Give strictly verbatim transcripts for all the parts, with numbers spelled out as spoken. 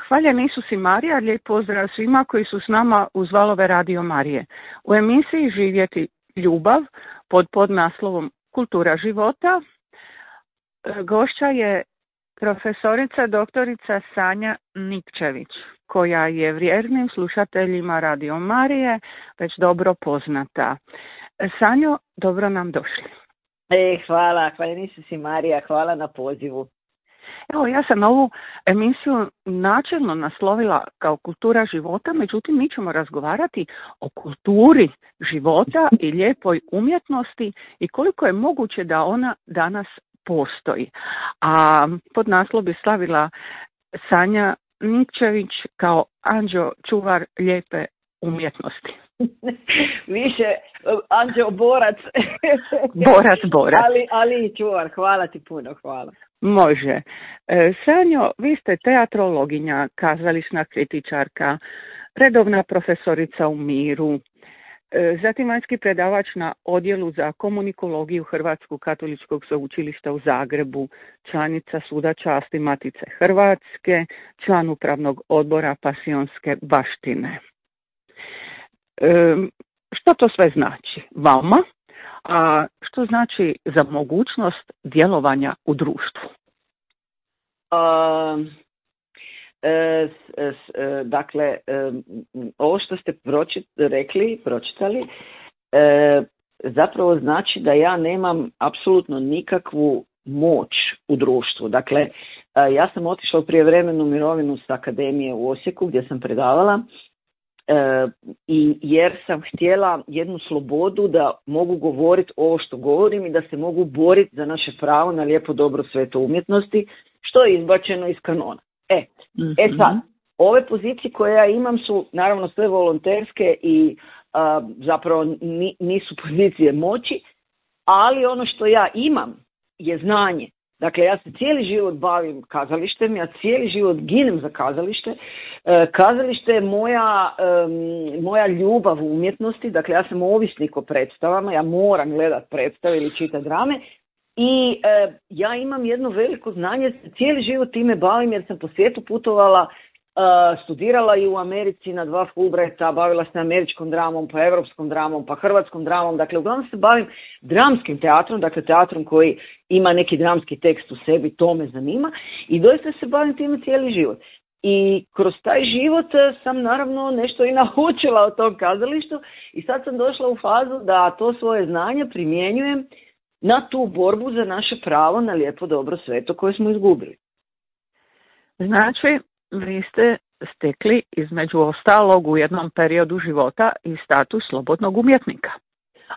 Hvaljen Isus i Marija, lijep pozdrav svima koji su s nama uz valove Radio Marije. U emisiji Živjeti ljubav pod podnaslovom Kultura života gošća je profesorica doktorica Sanja Nikčević, koja je vjernim slušateljima Radio Marije već dobro poznata. Sanjo, dobro nam došli. E, hvala, hvala Isus i Marija, hvala na pozivu. Evo, ja sam ovu emisiju načelno naslovila kao kultura života, međutim mi ćemo razgovarati o kulturi života i lijepoj umjetnosti i koliko je moguće da ona danas postoji. A pod naslov bi stavila Sanja Nikčević kao anđeo čuvar lijepe umjetnosti. Više anđeo borac. Borac, borac. Ali, ali i čuvar, hvala ti puno, hvala. Može. E, Sanjo, vi ste teatrologinja, kazališna kritičarka, redovna profesorica u Miru, e, zatim vanjski predavač na odjelu za komunikologiju Hrvatskog katoličkog sveučilišta u Zagrebu, članica Suda časti Matice Hrvatske, član upravnog odbora Pasionske baštine. E, što to sve znači vama? A što znači za mogućnost djelovanja u društvu? Uh, e, s, s, e, dakle, e, ovo što ste pročit, rekli, pročitali, e, zapravo znači da ja nemam apsolutno nikakvu moć u društvu. Dakle, e, ja sam otišla u prijevremenu mirovinu s akademije u Osijeku gdje sam predavala. Uh, i jer sam htjela jednu slobodu da mogu govoriti ovo što govorim i da se mogu boriti za naše pravo na lijepo dobro sveto umjetnosti, što je izbačeno iz kanona. E, mm-hmm. e sad, ove pozicije koje ja imam su naravno sve volonterske i uh, zapravo ni, nisu pozicije moći, ali ono što ja imam je znanje. Dakle, ja se cijeli život bavim kazalištem, ja cijeli život ginem za kazalište. E, kazalište je moja, e, moja ljubav u umjetnosti, dakle ja sam ovisnik o predstavama, ja moram gledat predstave ili čitati drame i e, ja imam jedno veliko znanje, cijeli život time bavim jer sam po svijetu putovala, Uh, studirala i u Americi na dva Fulbrighta, bavila se američkom dramom, pa evropskom dramom, pa hrvatskom dramom, dakle uglavnom se bavim dramskim teatrom, dakle teatrom koji ima neki dramski tekst u sebi, to me zanima i doista se bavim time cijeli život. I kroz taj život sam naravno nešto i naučila o tom kazalištu i sad sam došla u fazu da to svoje znanje primjenjujem na tu borbu za naše pravo na lijepo dobro sveto koje smo izgubili. Znači, vi ste stekli između ostalog u jednom periodu života i status slobodnog umjetnika.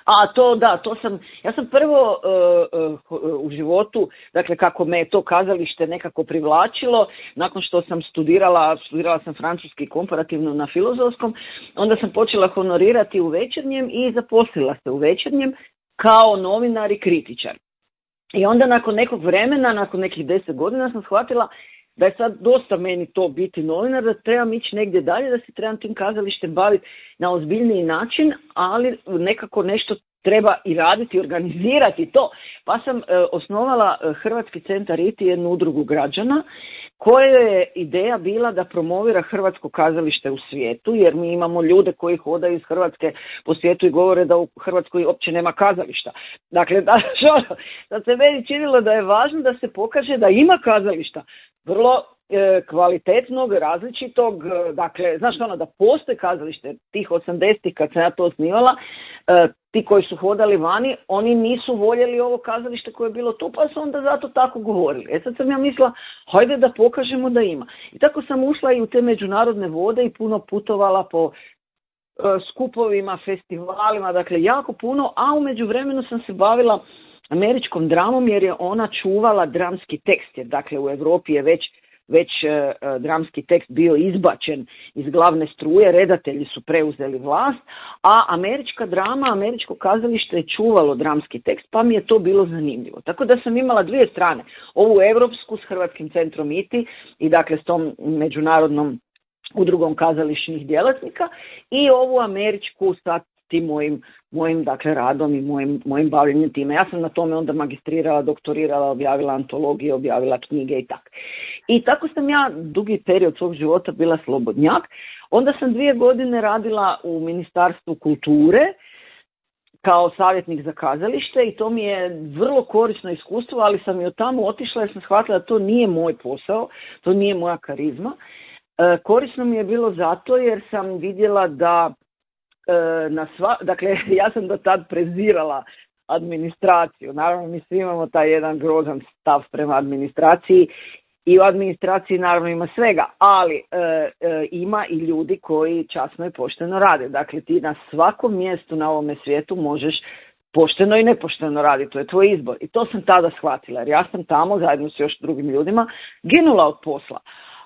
A to da, to sam, ja sam prvo uh, uh, u životu, dakle kako me to kazalište nekako privlačilo, nakon što sam studirala, studirala sam francuski komparativno na Filozofskom, onda sam počela honorirati u Večernjem i zaposlila se u Večernjem kao novinar i kritičar. I onda nakon nekog vremena, nakon nekih deset godina sam shvatila da je sad dosta meni to biti novinar, da trebam ići negdje dalje, da se trebam tim kazalištem baviti na ozbiljniji način, ali nekako nešto treba i raditi, organizirati to. Pa sam e, osnovala Hrvatski centar I T I, jednu udrugu građana, koja je ideja bila da promovira hrvatsko kazalište u svijetu, jer mi imamo ljude koji hodaju iz Hrvatske po svijetu i govore da u Hrvatskoj uopće nema kazališta. Dakle, da, što, da se meni činilo da je važno da se pokaže da ima kazališta, vrlo e, kvalitetnog, različitog, e, dakle, znaš ono, da postoje kazalište tih osamdesetih kad sam ja to osnivala, e, ti koji su hodali vani, oni nisu voljeli ovo kazalište koje je bilo tu, pa su onda zato tako govorili. E sad sam ja mislila, hajde da pokažemo da ima. I tako sam ušla i u te međunarodne vode i puno putovala po e, skupovima, festivalima, dakle jako puno, a u međuvremenu sam se bavila američkom dramom jer je ona čuvala dramski tekst, jer dakle u Europi je već, već uh, dramski tekst bio izbačen iz glavne struje, redatelji su preuzeli vlast, a američka drama, američko kazalište je čuvalo dramski tekst, pa mi je to bilo zanimljivo. Tako da sam imala dvije strane, ovu europsku s Hrvatskim centrom I T I i dakle s tom međunarodnom udrugom kazališnih djelatnika i ovu američku sa tim mojim, mojim dakle, radom i mojim, mojim bavljenjem time. Ja sam na tome onda magistrirala, doktorirala, objavila antologije, objavila knjige i tako. I tako sam ja dugi period svog života bila slobodnjak. Onda sam dvije godine radila u Ministarstvu kulture kao savjetnik za kazalište i to mi je vrlo korisno iskustvo, ali sam i od tamo otišla jer sam shvatila da to nije moj posao, to nije moja karizma. E, korisno mi je bilo zato jer sam vidjela da e, na sva, dakle ja sam do tad prezirala administraciju. Naravno mi svi imamo taj jedan grozan stav prema administraciji i u administraciji naravno ima svega, ali e, e, ima i ljudi koji časno i pošteno rade. Dakle, ti na svakom mjestu na ovome svijetu možeš pošteno i nepošteno raditi, to je tvoj izbor. I to sam tada shvatila, jer ja sam tamo zajedno s još drugim ljudima ginula od posla.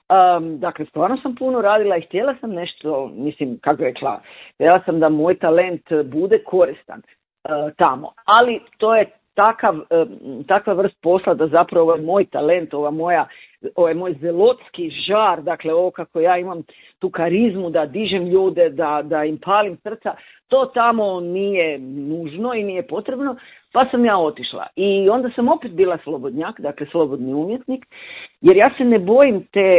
Um, dakle, stvarno sam puno radila i htjela sam nešto, mislim, kako rekla, htjela sam da moj talent bude koristan uh, tamo, ali to je takav, um, takva vrst posla da zapravo ovaj moj talent, ova moja, ovaj moj zelotski žar, dakle ovo kako ja imam tu karizmu da dižem ljude, da, da im palim srca, to tamo nije nužno i nije potrebno, pa sam ja otišla. I onda sam opet bila slobodnjak, dakle slobodni umjetnik, jer ja se ne bojim te,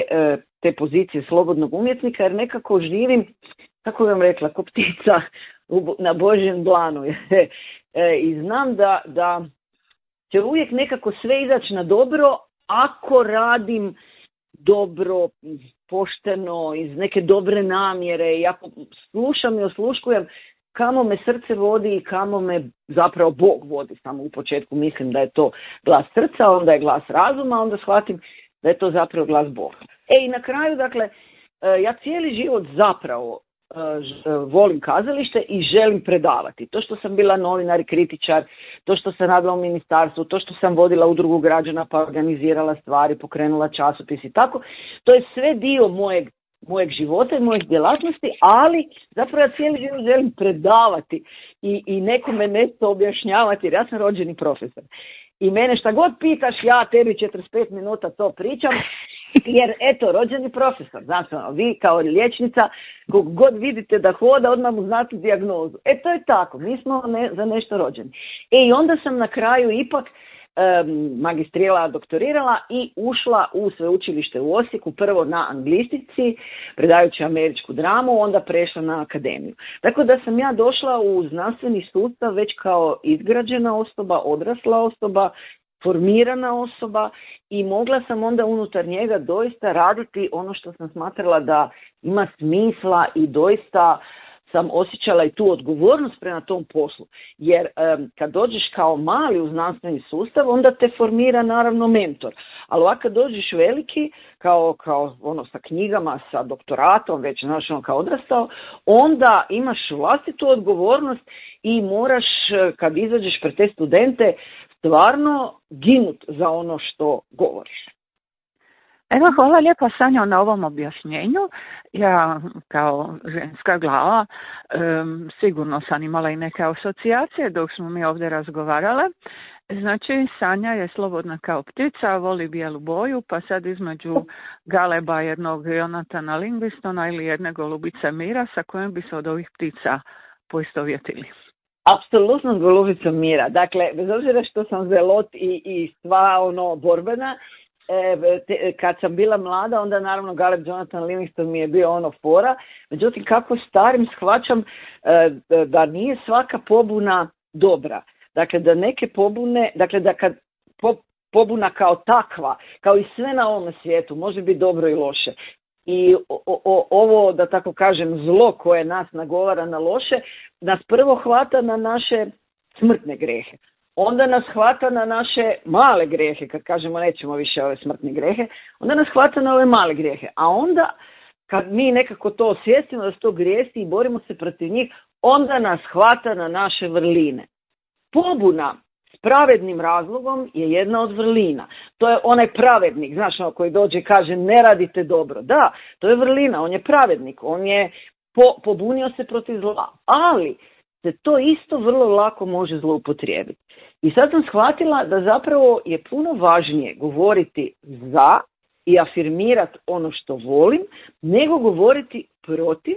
te pozicije slobodnog umjetnika, jer nekako živim, kako bih vam rekla, ko ptica na Božjem dlanu. I znam da, da će uvijek nekako sve izaći na dobro ako radim dobro, pošteno, iz neke dobre namjere i ako slušam i osluškujem kamo me srce vodi i kamo me zapravo Bog vodi. Samo u početku mislim da je to glas srca, onda je glas razuma, onda shvatim da je to zapravo glas Boga. E i na kraju, dakle, ja cijeli život zapravo volim kazalište i želim predavati. To što sam bila novinar i kritičar, to što sam radila u ministarstvu, to što sam vodila udrugu građana pa organizirala stvari, pokrenula časopis i tako, to je sve dio mojeg mojeg života i mojih djelatnosti, ali zapravo ja cijeli život želim predavati i, i nekome nešto objašnjavati, jer ja sam rođeni profesor. I mene šta god pitaš, ja tebi četrdeset pet minuta to pričam, jer eto, rođeni profesor, znači ono, vi kao liječnica, kog god vidite da hoda, odmah mu znate dijagnozu. E to je tako, mi smo ne, za nešto rođeni. E i onda sam na kraju ipak magistrirala, doktorirala i ušla u sveučilište u Osijeku, prvo na anglistici, predajući američku dramu, onda prešla na akademiju. Tako da sam ja došla u znanstveni sustav već kao izgrađena osoba, odrasla osoba, formirana osoba i mogla sam onda unutar njega doista raditi ono što sam smatrala da ima smisla i doista sam osjećala i tu odgovornost prema tom poslu. Jer um, kad dođeš kao mali u znanstveni sustav, onda te formira naravno mentor. Ali ovako kad dođeš veliki, kao, kao ono sa knjigama, sa doktoratom, već znaš ono kao odrastao, onda imaš vlastitu odgovornost i moraš kad izađeš pred te studente stvarno ginut za ono što govoriš. Evo, hvala lijepa Sanjo na ovom objašnjenju. Ja kao ženska glava um, sigurno sam imala i neke asocijacije dok smo mi ovdje razgovarale. Znači, Sanja je slobodna kao ptica, voli bijelu boju, pa sad između Galeba jednog Jonatana Livingstona ili jedne golubice Mira, sa kojom bi se od ovih ptica poistovjetili? Apsolutno s golubicom Mira. Dakle, bez obzira što sam zelot i, i sva ono borbena, E, te, kad sam bila mlada, onda naravno Galeb Jonathan Livingston mi je bio ono fora. Međutim, kako starim shvaćam e, da nije svaka pobuna dobra. Dakle, da neke pobune, dakle da kad po, pobuna kao takva, kao i sve na ovom svijetu, može biti dobro i loše. I o, o, ovo, da tako kažem, zlo koje nas nagovara na loše, nas prvo hvata na naše smrtne grehe. Onda nas hvata na naše male grijehe, kad kažemo nećemo više ove smrtne grijehe, onda nas hvata na ove male grijehe. A onda, kad mi nekako to osvijestimo da su to grijesi i borimo se protiv njih, onda nas hvata na naše vrline. Pobuna s pravednim razlogom je jedna od vrlina. To je onaj pravednik, znaš, ono koji dođe i kaže ne radite dobro. Da, to je vrlina, on je pravednik, on je po, pobunio se protiv zla. Ali se to isto vrlo lako može zloupotrijebiti. I sad sam shvatila da zapravo je puno važnije govoriti za i afirmirati ono što volim, nego govoriti protiv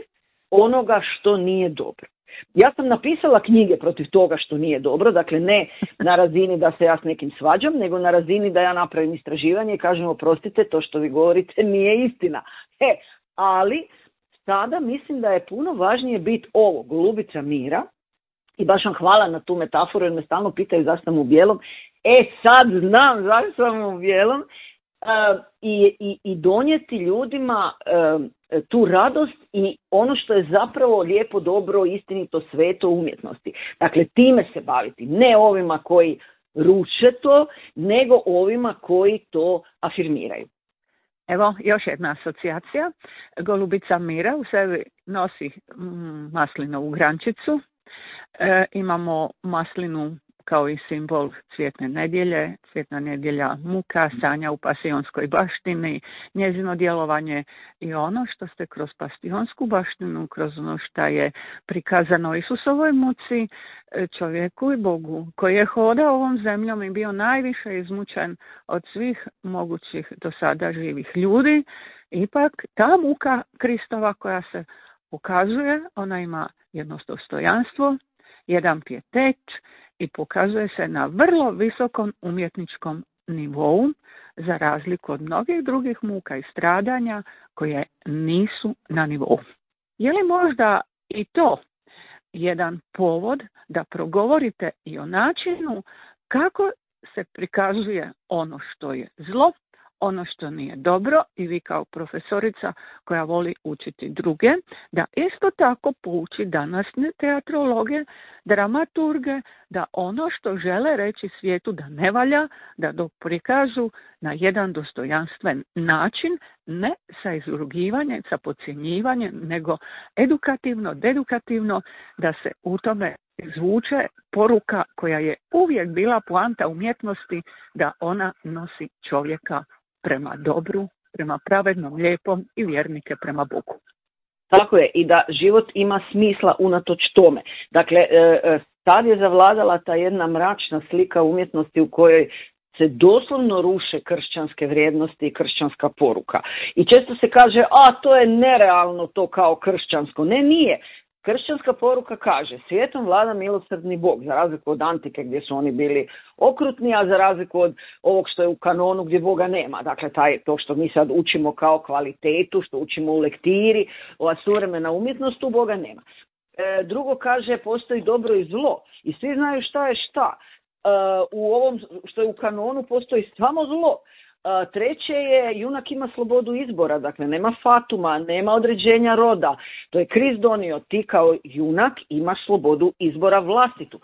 onoga što nije dobro. Ja sam napisala knjige protiv toga što nije dobro, dakle ne na razini da se ja s nekim svađam, nego na razini da ja napravim istraživanje i kažem oprostite, to što vi govorite nije istina. E, ali sada mislim da je puno važnije biti ovo, golubica mira, i baš vam hvala na tu metaforu jer me stalno pitaju zašto sam u bijelom. E sad znam zašto sam u bijelom. Uh, i, i, i donijeti ljudima uh, tu radost i ono što je zapravo lijepo, dobro, istinito, sveto umjetnosti. Dakle, time se baviti, ne ovima koji ruše to, nego ovima koji to afirmiraju. Evo, još jedna asocijacija. Golubica mira u sebi nosi mm, maslinovu grančicu. E, imamo maslinu kao i simbol cvjetne nedjelje, cvjetna nedjelja muka, sanja u pasionskoj baštini, njezino djelovanje i ono što ste kroz pasionsku baštinu, kroz ono što je prikazano Isusovoj muci, čovjeku i Bogu, koji je hodao ovom zemljom i bio najviše izmučen od svih mogućih do sada živih ljudi, ipak ta muka Kristova koja se pokazuje, ona ima jedno dostojanstvo, jedan pijetet, i pokazuje se na vrlo visokom umjetničkom nivou, za razliku od mnogih drugih muka i stradanja koje nisu na nivou. Je li možda i to jedan povod da progovorite i o načinu kako se prikazuje ono što je zlo, ono što nije dobro, i vi kao profesorica koja voli učiti druge, da isto tako pouči današnje teatrologe, dramaturge, da ono što žele reći svijetu da ne valja, da to prikažu na jedan dostojanstven način, ne sa izrugivanjem, sa podcjenjivanjem, nego edukativno, dedukativno, da se u tome zvuče poruka koja je uvijek bila poanta umjetnosti, da ona nosi čovjeka prema dobru, prema pravednom, lijepom i vjernike prema Bogu. Tako je, i da život ima smisla unatoč tome. Dakle, sad je zavladala ta jedna mračna slika umjetnosti u kojoj se doslovno ruše kršćanske vrijednosti i kršćanska poruka. I često se kaže, a to je nerealno to kao kršćansko. Ne, nije. Kršćanska poruka kaže, svijetom vlada milosrdni Bog, za razliku od antike gdje su oni bili okrutni, a za razliku od ovog što je u kanonu gdje Boga nema. Dakle, taj, to što mi sad učimo kao kvalitetu, što učimo u lektiri, ova suvremena umjetnost, tu Boga nema. E, drugo kaže, postoji dobro i zlo i svi znaju šta je šta. E, u ovom što je u kanonu postoji samo zlo. Uh, treće je, junak ima slobodu izbora, dakle nema fatuma, nema određenja roda, to je Krist donio, ti kao junak imaš slobodu izbora vlastitu, uh,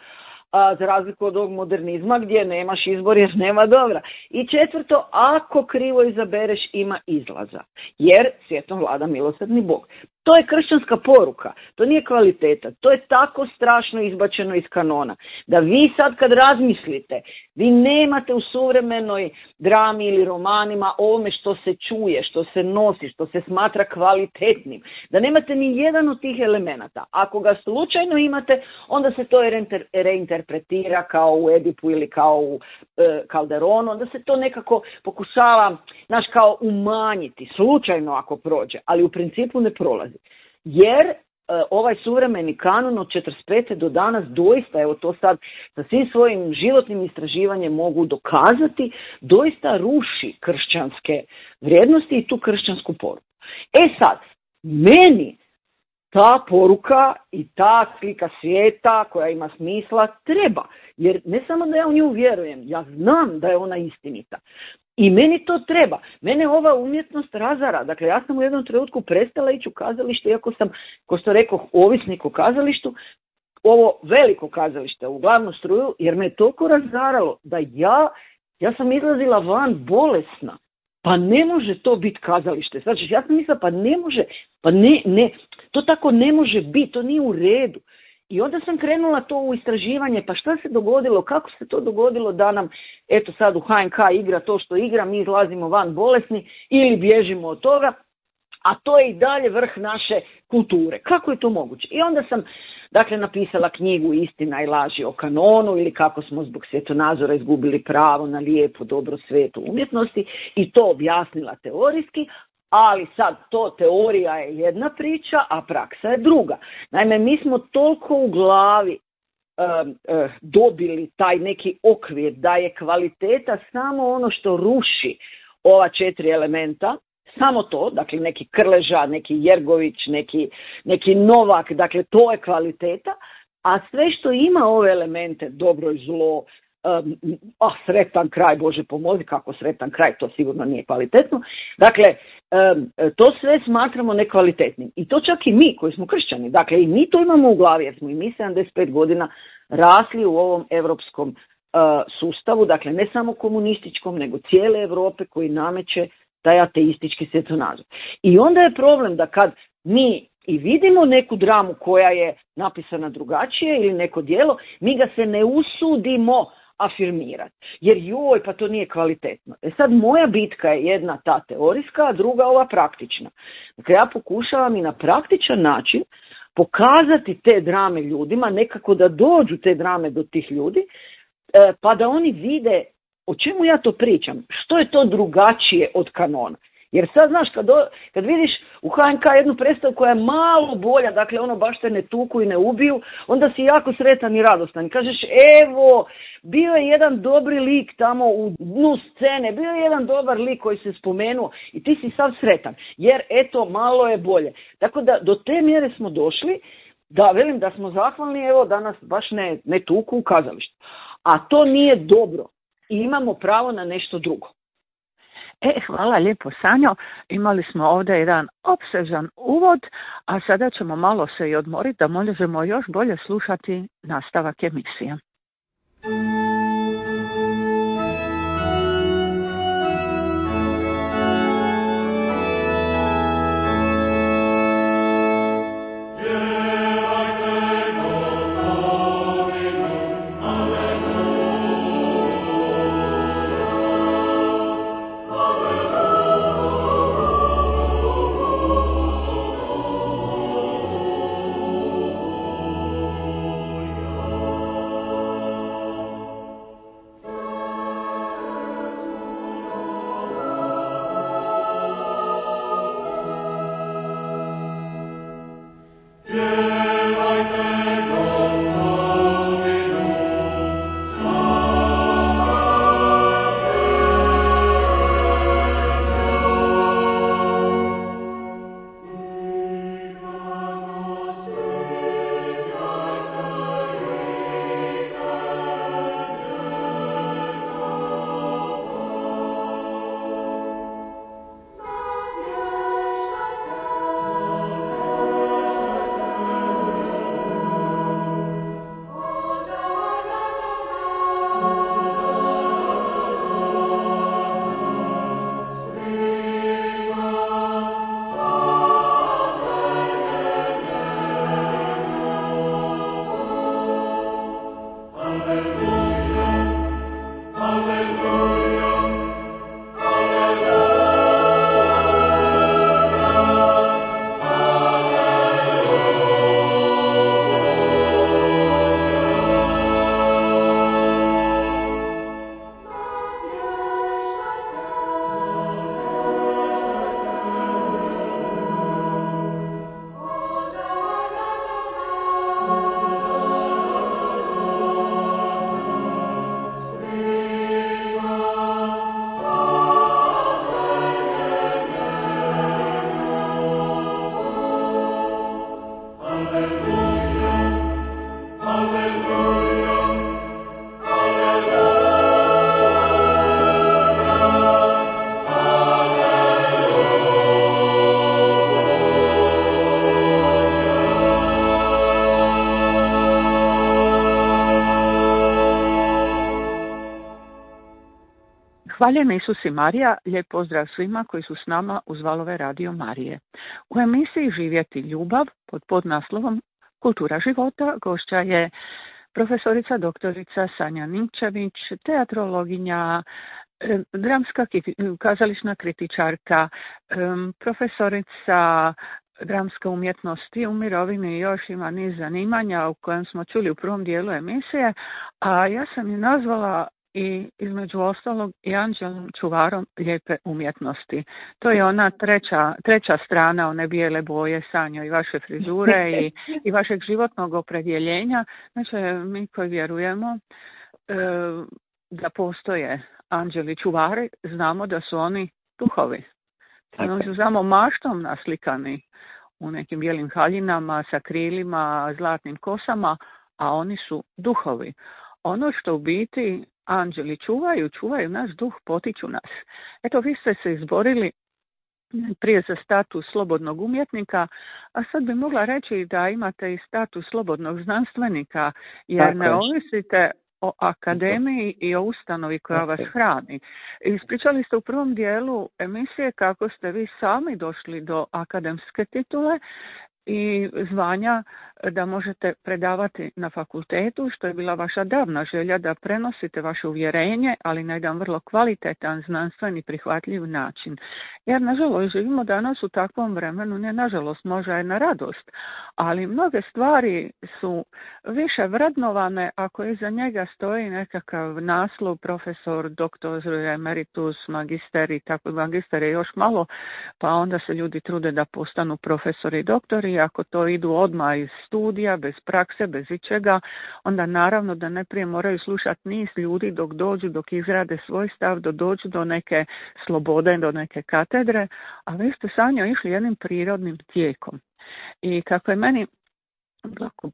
za razliku od ovog modernizma gdje nemaš izbor jer nema dobra. I četvrto, ako krivo izabereš ima izlaza, jer svijetom vlada milosrdni Bog. To je kršćanska poruka, to nije kvaliteta, to je tako strašno izbačeno iz kanona, da vi sad kad razmislite, vi nemate u suvremenoj drami ili romanima ovome što se čuje, što se nosi, što se smatra kvalitetnim, da nemate ni jedan od tih elemenata. Ako ga slučajno imate, onda se to reinterpretira kao u Edipu ili kao u e, Calderonu, onda se to nekako pokušava, znaš, kao umanjiti, slučajno ako prođe, ali u principu ne prolazi. Jer e, ovaj suvremeni kanon od četrdeset pete do danas doista, evo to sad sa svim svojim životnim istraživanjem mogu dokazati, doista ruši kršćanske vrijednosti i tu kršćansku poruku. E sad, meni ta poruka i ta slika svijeta koja ima smisla treba, jer ne samo da ja u nju vjerujem, ja znam da je ona istinita. I meni to treba. Mene ova umjetnost razara. Dakle, ja sam u jednom trenutku prestala ići u kazalište, iako sam, ko što rekao, ovisnik o kazalištu, ovo veliko kazalište u glavnu struju, jer me je toliko razaralo da ja, ja sam izlazila van bolesna. Pa ne može to biti kazalište. Znači, ja sam mislila, pa ne može, pa ne, ne, to tako ne može biti, to nije u redu. I onda sam krenula to u istraživanje, pa šta se dogodilo, kako se to dogodilo da nam, eto sad u H N K igra to što igra, mi izlazimo van bolesni ili bježimo od toga, a to je i dalje vrh naše kulture. Kako je to moguće? I onda sam, dakle, napisala knjigu Istina i laži o kanonu ili kako smo zbog svjetonazora izgubili pravo na lijepu, dobro, svetu umjetnosti i to objasnila teorijski, Ali sad to teorija je jedna priča, a praksa je druga. Naime, mi smo toliko u glavi um, uh, dobili taj neki okvir da je kvaliteta samo ono što ruši ova četiri elementa, samo to, dakle neki Krleža, neki Jergović, neki, neki Novak, dakle to je kvaliteta, a sve što ima ove elemente, dobro i zlo, um, a sretan kraj, Bože pomozi, kako sretan kraj, to sigurno nije kvalitetno. Dakle, um, to sve smatramo nekvalitetnim. I to čak i mi koji smo kršćani, dakle i mi to imamo u glavi, jer smo i mi sedamdeset pet godina rasli u ovom europskom uh, sustavu, dakle ne samo komunističkom, nego cijele Europe koji nameće taj ateistički svjetonazor. I onda je problem da kad mi i vidimo neku dramu koja je napisana drugačije ili neko djelo, mi ga se ne usudimo afirmirati. Jer joj, pa to nije kvalitetno. E sad moja bitka je jedna ta teorijska, a druga ova praktična. Dakle, ja pokušavam i na praktičan način pokazati te drame ljudima, nekako da dođu te drame do tih ljudi, pa da oni vide o čemu ja to pričam, što je to drugačije od kanona. Jer sad, znaš, kad, do, kad vidiš u H N K jednu predstavu koja je malo bolja, dakle ono baš te ne tuku i ne ubiju, onda si jako sretan i radostan. Kažeš, evo, bio je jedan dobri lik tamo u dnu scene, bio je jedan dobar lik koji se spomenuo i ti si sav sretan, jer eto, malo je bolje. Tako da do te mjere smo došli, da velim da smo zahvalni, evo, da nas baš ne, ne tuku u kazalištu. A to nije dobro i imamo pravo na nešto drugo. E, hvala lijepo, Sanjo. Imali smo ovdje jedan opsežan uvod, a sada ćemo malo se i odmoriti da možemo još bolje slušati nastavak emisije. Hvaljeni Isus i Marija, lijep pozdrav svima koji su s nama uz valove Radio Marije. U emisiji Živjeti ljubav pod podnaslovom Kultura života gošća je profesorica doktorica Sanja Nimčević, teatrologinja, dramska kazališna kritičarka, profesorica dramske umjetnosti u mirovini, još ima niz zanimanja u kojem smo čuli u prvom dijelu emisije, a ja sam je nazvala i između ostalog i anđelom čuvarom lijepe umjetnosti. To je ona treća, treća strana one bijele boje, Sanjo, i vaše frizure i, i vašeg životnog opredjeljenja. Znači, mi koji vjerujemo e, da postoje anđeli čuvari, znamo da su oni duhovi. Oni su samo maštom naslikani u nekim bijelim haljinama sa krilima, zlatnim kosama, a oni su duhovi. Ono što u biti anđeli čuvaju, čuvaju naš duh, potiču nas. Eto, vi ste se izborili prije za status slobodnog umjetnika, a sad bi mogla reći da imate i status slobodnog znanstvenika, jer tako ne ovisite o akademiji i o ustanovi koja vas hrani. Ispričali ste u prvom dijelu emisije kako ste vi sami došli do akademske titule i zvanja da možete predavati na fakultetu, što je bila vaša davna želja da prenosite vaše uvjerenje, ali na jedan vrlo kvalitetan, znanstveni, prihvatljiv način. Jer, nažalost, živimo danas u takvom vremenu, ne nažalost, možda je na radost, ali mnoge stvari su više vrednovane ako iza njega stoji nekakav naslov, profesor, doktor, emeritus, magister i tako, magister je još malo, pa onda se ljudi trude da postanu profesori i doktori. Ako to idu odmah iz studija, bez prakse, bez ičega, onda naravno da najprije moraju slušati niz ljudi dok dođu, dok izrade svoj stav, dok dođu do neke slobode, do neke katedre, a vi ste, Sanjo, išli jednim prirodnim tijekom. I kako je meni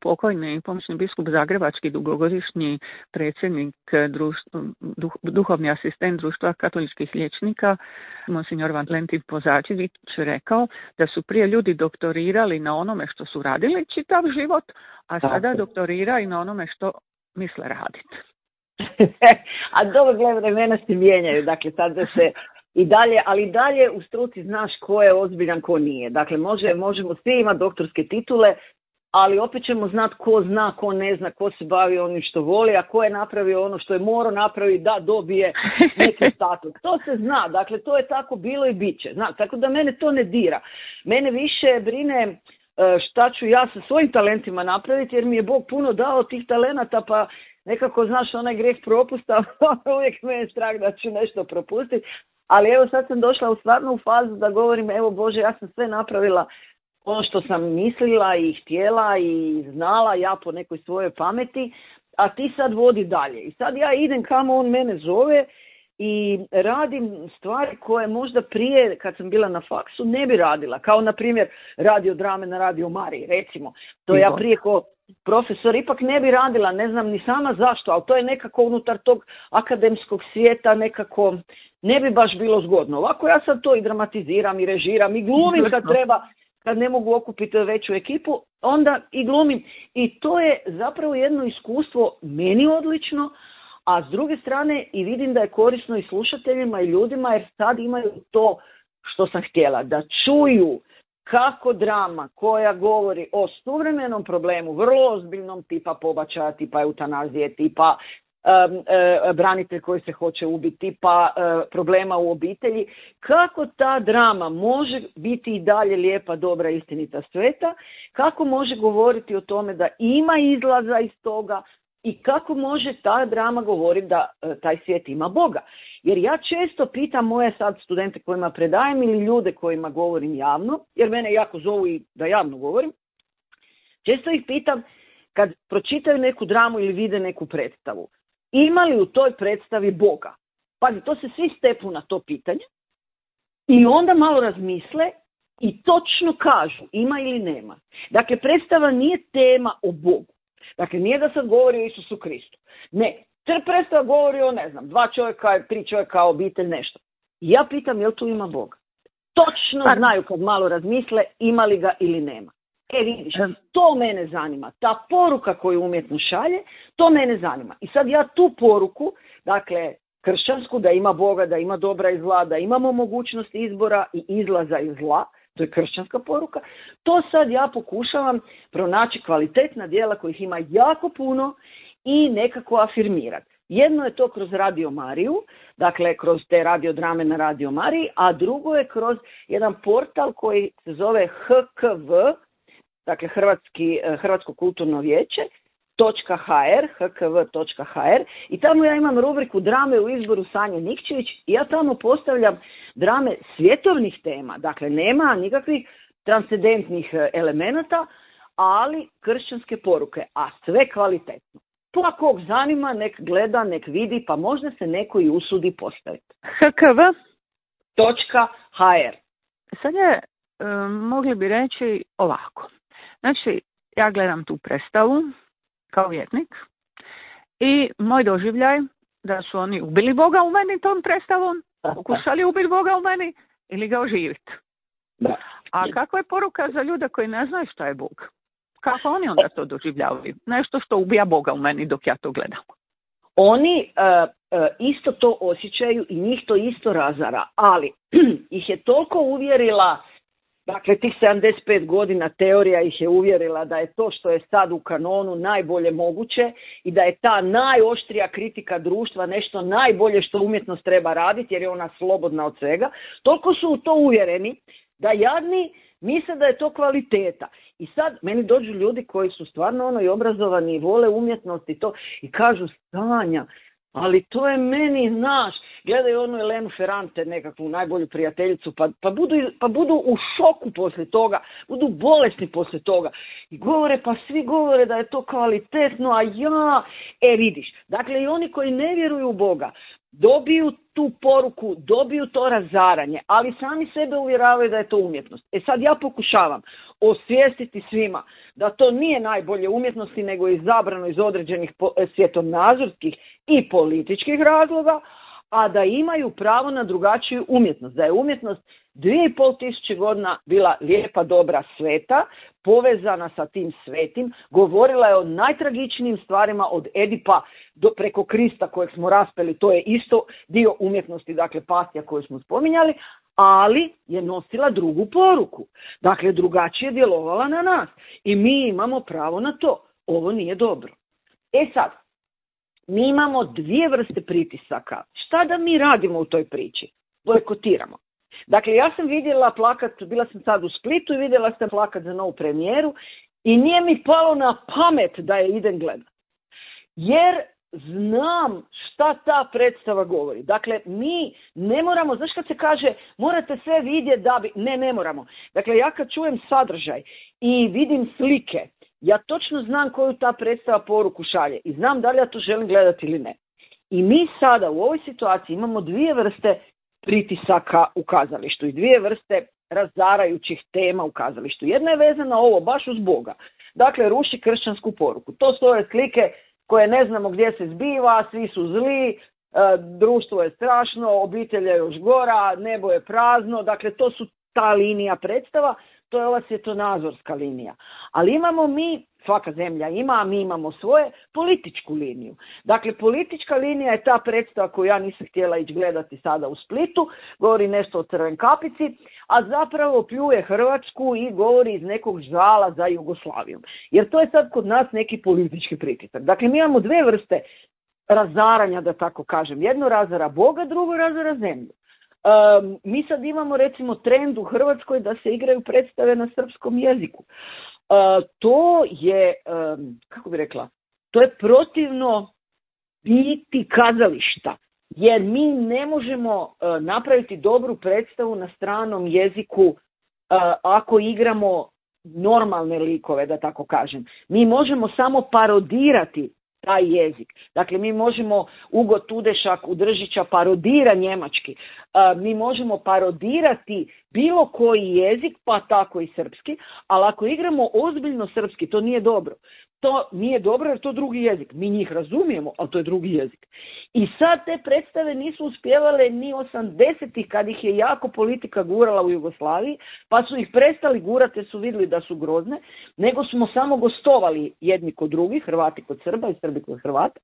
pokojni pomoćni biskup zagrebački, dugogodišnji predsjednik društva, duh, duhovni asistent društva katoličkih liječnika, monsignor Valentin Pozačević, rekao da su prije ljudi doktorirali na onome što su radili čitav život, a sada Tako. doktoriraju na onome što misle raditi. A dobro, gledaj, vremena se mijenjaju, dakle sad da se i dalje, ali i dalje u struci znaš ko je ozbiljan, ko nije. Dakle, može, možemo svi imati doktorske titule, ali opet ćemo znati ko zna, ko ne zna, ko se bavi onim što voli, a ko je napravio ono što je morao napraviti da dobije neki status. To se zna, dakle to je tako bilo i bit će. Zna, tako da mene to ne dira. Mene više brine šta ću ja sa svojim talentima napraviti, jer mi je Bog puno dao tih talenata, pa nekako znaš onaj grijeh propusta, uvijek me je strah da ću nešto propustiti. Ali evo sad sam došla u stvarno u fazu da govorim, evo Bože, ja sam sve napravila ono što sam mislila i htjela i znala ja po nekoj svojoj pameti, a ti sad vodi dalje. I sad ja idem kamo on mene zove i radim stvari koje možda prije, kad sam bila na faksu, ne bi radila. Kao, na primjer, radio drame na Radio Mariji, recimo. To ja prije ko profesor ipak ne bi radila, ne znam ni sama zašto, ali to je nekako unutar tog akademskog svijeta nekako ne bi baš bilo zgodno. Ovako ja sad to i dramatiziram i režiram i glumim kad treba, kad ne mogu okupiti veću ekipu, onda i glumim. I to je zapravo jedno iskustvo meni odlično, a s druge strane i vidim da je korisno i slušateljima i ljudima, jer sad imaju to što sam htjela, da čuju kako drama koja govori o suvremenom problemu, vrlo ozbiljnom, tipa pobačaja, tipa eutanazije, tipa um, uh, branitelj koji se hoće ubiti, tipa uh, problema u obitelji, kako ta drama može biti i dalje lijepa, dobra, istinita, sveta, kako može govoriti o tome da ima izlaza iz toga i kako može ta drama govoriti da uh, taj svijet ima Boga. Jer ja često pitam moje sad studente kojima predajem ili ljude kojima govorim javno, jer mene jako zovu i da javno govorim, često ih pitam kad pročitaju neku dramu ili vide neku predstavu, ima li u toj predstavi Boga? Pazi, to se svi stepu na to pitanje i onda malo razmisle i točno kažu ima ili nema. Dakle, predstava nije tema o Bogu. Dakle, nije da sad govori o Isusu Kristu. Ne. Jer predstava govori o, ne znam, dva čovjeka, tri čovjeka, obitelj, nešto. I ja pitam, jel tu ima Boga? Točno znaju kad malo razmisle, ima li ga ili nema. E vidiš, to mene zanima. Ta poruka koju umjetno šalje, to mene zanima. I sad ja tu poruku, dakle, kršćansku, da ima Boga, da ima dobra i zla, da imamo mogućnost izbora i izlaza iz zla, to je kršćanska poruka, to sad ja pokušavam pronaći kvalitetna djela kojih ima jako puno i nekako afirmirati. Jedno je to kroz Radio Mariju, dakle kroz te radiodrame na Radio Mariji, a drugo je kroz jedan portal koji se zove H K V, dakle Hrvatski, Hrvatsko kulturno vijeće, .hr, hkv.hr i tamo ja imam rubriku drame u izboru Sanje Nikčević i ja tamo postavljam drame svjetovnih tema. Dakle, nema nikakvih transcendentnih elemenata, ali kršćanske poruke, a sve kvalitetno. Pa kog zanima, nek gleda, nek vidi, pa možda se neko i usudi postaviti. hkv.hr. Sad je, e, mogli bi reći ovako. Znači, ja gledam tu predstavu kao vjernik i moj doživljaj da su oni ubili Boga u meni tom predstavom, pokušali ubiti Boga u meni ili ga oživiti. A kakva je poruka za ljude koji ne znaju šta je Bog? Kako oni onda to doživljavaju? Nešto što ubija Boga u meni dok ja to gledam. Oni uh, uh, isto to osjećaju i njih to isto razara, ali ih je toliko uvjerila, dakle tih sedamdeset pet godina teorija ih je uvjerila da je to što je sad u kanonu najbolje moguće i da je ta najoštrija kritika društva nešto najbolje što umjetnost treba raditi jer je ona slobodna od svega. Toliko su u to uvjereni da jadni misle da je to kvaliteta. I sad meni dođu ljudi koji su stvarno ono i obrazovani i vole umjetnost i to i kažu Sanja, ali to je meni, znaš, gledaju onu Elenu Ferrante, nekakvu najbolju prijateljicu, pa, pa, budu, pa budu u šoku poslije toga, budu bolesni poslije toga. I govore, pa svi govore da je to kvalitetno, a ja, e vidiš, dakle i oni koji ne vjeruju u Boga, dobiju tu poruku, dobiju to razaranje, ali sami sebe uvjeravaju da je to umjetnost. E sad ja pokušavam osvijestiti svima da to nije najbolje umjetnosti, nego je izabrano iz određenih svjetonazorskih i političkih razloga, a da imaju pravo na drugačiju umjetnost. Da je umjetnost dvije i pol tisuće godina bila lijepa, dobra, sveta, povezana sa tim svetim, govorila je o najtragičnijim stvarima od Edipa do preko Krista kojeg smo raspeli, to je isto dio umjetnosti, dakle Pasija koju smo spominjali, ali je nosila drugu poruku. Dakle, drugačije djelovala na nas i mi imamo pravo na to. Ovo nije dobro. E sad, mi imamo dvije vrste pritisaka. Šta da mi radimo u toj priči? Bojkotiramo. Dakle, ja sam vidjela plakat, bila sam sad u Splitu i vidjela sam plakat za novu premijeru i nije mi palo na pamet da je idem gledat. Jer znam šta ta predstava govori. Dakle, mi ne moramo, znaš kad se kaže morate sve vidjeti da bi... Ne, ne moramo. Dakle, ja kad čujem sadržaj i vidim slike, ja točno znam koju ta predstava poruku šalje i znam da li ja to želim gledati ili ne. I mi sada u ovoj situaciji imamo dvije vrste pritisaka u kazalištu i dvije vrste razarajućih tema u kazalištu. Jedna je vezana ovo baš uz Boga. Dakle, ruši kršćansku poruku. To su ove slike koje ne znamo gdje se zbiva, svi su zli, e, društvo je strašno, obitelj je još gora, nebo je prazno. Dakle, to su ta linija predstava, to je ova svjetonazorska linija. Ali imamo mi, svaka zemlja ima, a mi imamo svoje, političku liniju. Dakle, politička linija je ta predstava koju ja nisam htjela ići gledati sada u Splitu, govori nešto o Crvenkapici, a zapravo pljuje Hrvatsku i govori iz nekog žala za Jugoslaviju. Jer to je sad kod nas neki politički pritisak. Dakle, mi imamo dve vrste razaranja, da tako kažem. Jedno razara Boga, drugo razara zemlju. Um, mi sad imamo recimo trend u Hrvatskoj da se igraju predstave na srpskom jeziku. Uh, to je, um, kako bi rekla, to je protivno biti kazališta, jer mi ne možemo uh, napraviti dobru predstavu na stranom jeziku uh, ako igramo normalne likove, da tako kažem. Mi možemo samo parodirati taj jezik. Dakle, mi možemo, Ugo Tudešak u Držića parodira njemački, uh, mi možemo parodirati bilo koji jezik, pa tako i srpski, ali ako igramo ozbiljno srpski, to nije dobro. To nije dobro jer to je drugi jezik. Mi njih razumijemo, ali to je drugi jezik. I sad te predstave nisu uspjevale ni osamdesetih kad ih je jako politika gurala u Jugoslaviji, pa su ih prestali gurati jer su vidjeli da su grozne, nego smo samo gostovali jedni kod drugih, Hrvati kod Srba i Srbi kod Hrvata,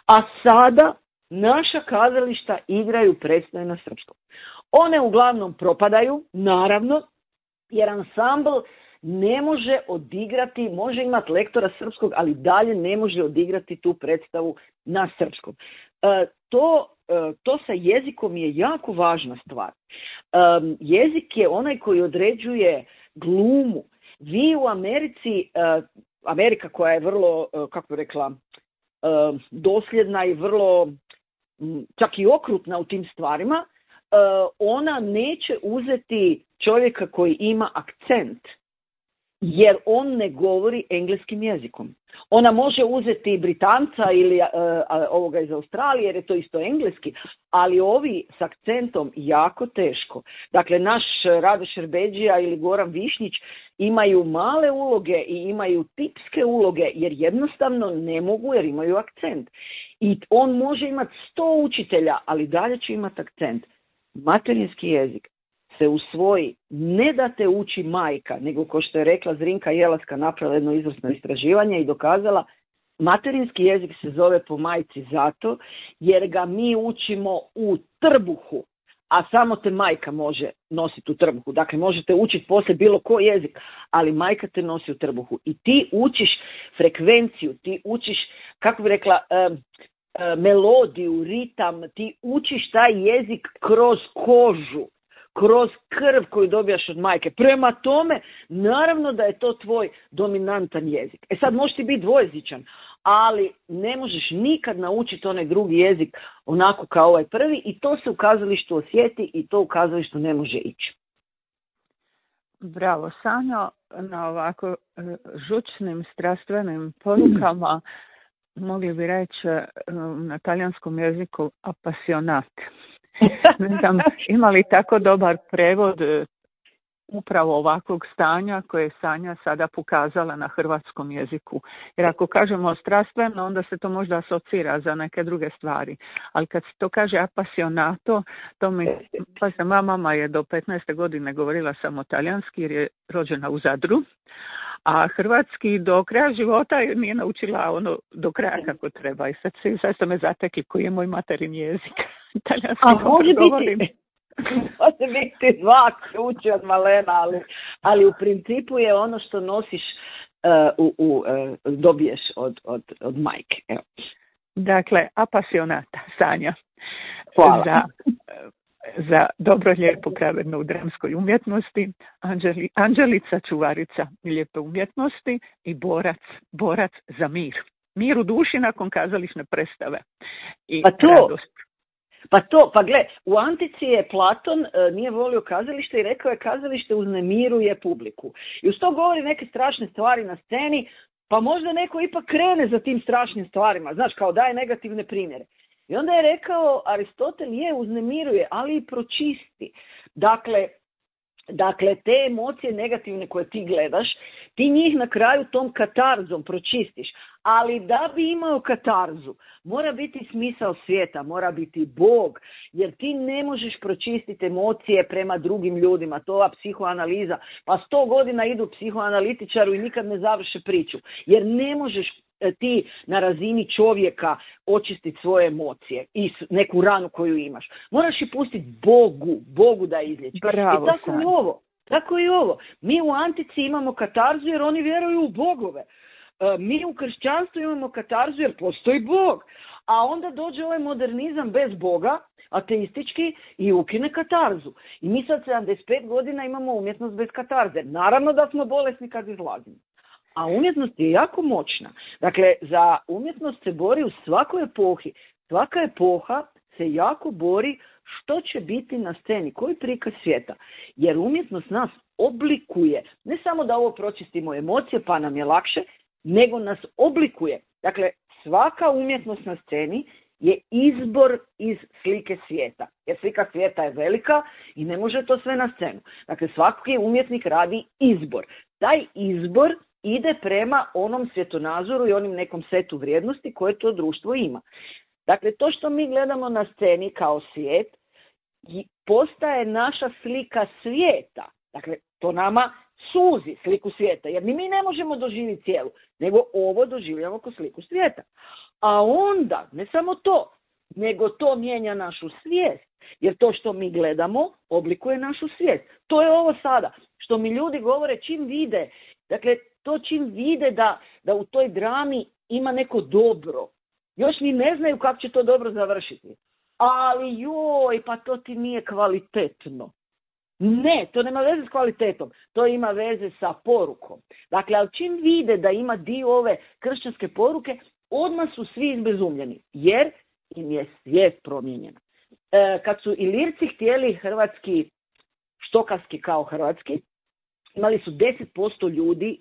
a sada naša kazališta igraju predstave na srpskom. One uglavnom propadaju, naravno, jer ansambl ne može odigrati, može imati lektora srpskog, ali dalje ne može odigrati tu predstavu na srpskom. E, to, e, to sa jezikom je jako važna stvar. E, jezik je onaj koji određuje glumu. Vi u Americi, e, Amerika koja je vrlo, kako bi rekla, dosljedna i vrlo čak i okrutna u tim stvarima, ona neće uzeti čovjeka koji ima akcent, jer on ne govori engleskim jezikom. Ona može uzeti Britanca ili uh, ovoga iz Australije, jer je to isto engleski, ali ovi s akcentom jako teško. Dakle, naš Rado Šerbedžija ili Goran Višnjić imaju male uloge i imaju tipske uloge, jer jednostavno ne mogu, jer imaju akcent. I on može imati sto učitelja, ali dalje će imati akcent. Materinski jezik se usvoji, ne da te uči majka, nego ko što je rekla Zrinka Jelaska, napravila jedno izvrsno istraživanje i dokazala, materinski jezik se zove po majci zato jer ga mi učimo u trbuhu, a samo te majka može nositi u trbuhu. Dakle, možete učiti poslije bilo koji jezik, ali majka te nosi u trbuhu. I ti učiš frekvenciju, ti učiš, kako bi rekla, um, melodiju, ritam, ti učiš taj jezik kroz kožu, kroz krv koju dobijaš od majke. Prema tome, naravno da je to tvoj dominantan jezik. E sad, možeš ti biti dvojezičan, ali ne možeš nikad naučiti onaj drugi jezik onako kao ovaj prvi i to se u kazalištu osjeti i to u kazalištu ne može ići. Bravo, Sanjo, na ovako žučnim, strastvenim porukama mogli bi reći na talijanskom jeziku apasionat. Ne znam, ima li tako dobar prevod upravo ovakvog stanja koje je Sanja sada pokazala na hrvatskom jeziku. Jer ako kažemo strastveno, onda se to možda asocira za neke druge stvari. Ali kad se to kaže apasionato, to mi, pa se moja mama je do petnaeste godine govorila samo talijanski jer je rođena u Zadru. A hrvatski do kraja života nije naučila ono do kraja kako treba. I sad, sad ste me zatekli koji je moj materin jezik. Talijanski A može biti, može biti dva ključa od malena, ali, ali u principu je ono što nosiš uh, u, u, uh, dobiješ od, od, od majke. Evo. Dakle, apasionata, Sanja. Hvala. Za, za dobro, lijepo, pravedno u dramskoj umjetnosti, Anđeli, Anđelica, čuvarica lijepe umjetnosti i borac, borac za mir. Mir u duši nakon kazališne predstave. I pa to, radost. Pa to, pa gle, u Antici je Platon e, nije volio kazalište i rekao je kazalište uznemiruje publiku. I uz to govori neke strašne stvari na sceni, pa možda neko ipak krene za tim strašnim stvarima, znaš, kao daje negativne primjere. I onda je rekao, Aristotel je uznemiruje, ali i pročisti. Dakle, dakle, te emocije negativne koje ti gledaš, ti njih na kraju tom katarzom pročistiš. Ali da bi imao katarzu, mora biti smisao svijeta, mora biti Bog, jer ti ne možeš pročistiti emocije prema drugim ljudima. To je psihoanaliza. Pa sto godina idu psihoanalitičaru i nikad ne završe priču. Jer ne možeš ti na razini čovjeka očistiti svoje emocije i neku ranu koju imaš. Moraš i pustiti Bogu, Bogu da izliječi. Bravo, I tako i ovo. Tako i ovo. Mi u Antici imamo katarzu jer oni vjeruju u bogove. Mi u kršćanstvu imamo katarzu jer postoji Bog. A onda dođe ovaj modernizam bez Boga, ateistički, i ukine katarzu. I mi sad sedamdeset pet godina imamo umjetnost bez katarze. Naravno da smo bolesni kad izlazimo. A umjetnost je jako moćna. Dakle, za umjetnost se bori u svakoj epohi. Svaka epoha se jako bori što će biti na sceni, koji prikaz svijeta. Jer umjetnost nas oblikuje. Ne samo da ovo pročistimo emocije pa nam je lakše, nego nas oblikuje. Dakle, svaka umjetnost na sceni je izbor iz slike svijeta. Jer slika svijeta je velika i ne može to sve na scenu. Dakle, svaki umjetnik radi izbor. Taj izbor ide prema onom svjetonazoru i onim nekom setu vrijednosti koje to društvo ima. Dakle, to što mi gledamo na sceni kao svijet postaje naša slika svijeta. Dakle, to nama suzi sliku svijeta, jer ni mi ne možemo doživjeti cijelu, nego ovo doživljamo kao sliku svijeta. A onda, ne samo to, nego to mijenja našu svijest, jer to što mi gledamo oblikuje našu svijest. To je ovo sada, što mi ljudi govore čim vide, dakle, to čim vide da, da u toj drami ima neko dobro. Još ni ne znaju kako će to dobro završiti. Ali joj, pa to ti nije kvalitetno. Ne, to nema veze s kvalitetom, to ima veze sa porukom. Dakle, ali čim vide da ima dio ove kršćanske poruke, odmah su svi izbezumljeni, jer im je svijest promijenjena. E, kad su Ilirci htjeli hrvatski, štokavski kao hrvatski, imali su deset posto ljudi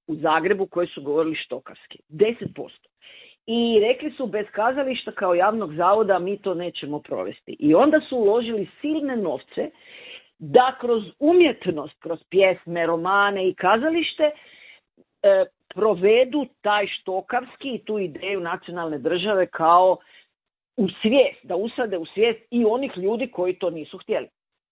u Zagrebu koji su govorili štokavski. deset posto. I rekli su, bez kazališta kao javnog zavoda mi to nećemo provesti. I onda su uložili silne novce da kroz umjetnost, kroz pjesme, romane i kazalište e, provedu taj štokavski i tu ideju nacionalne države kao u svijest, da usade u svijest i onih ljudi koji to nisu htjeli.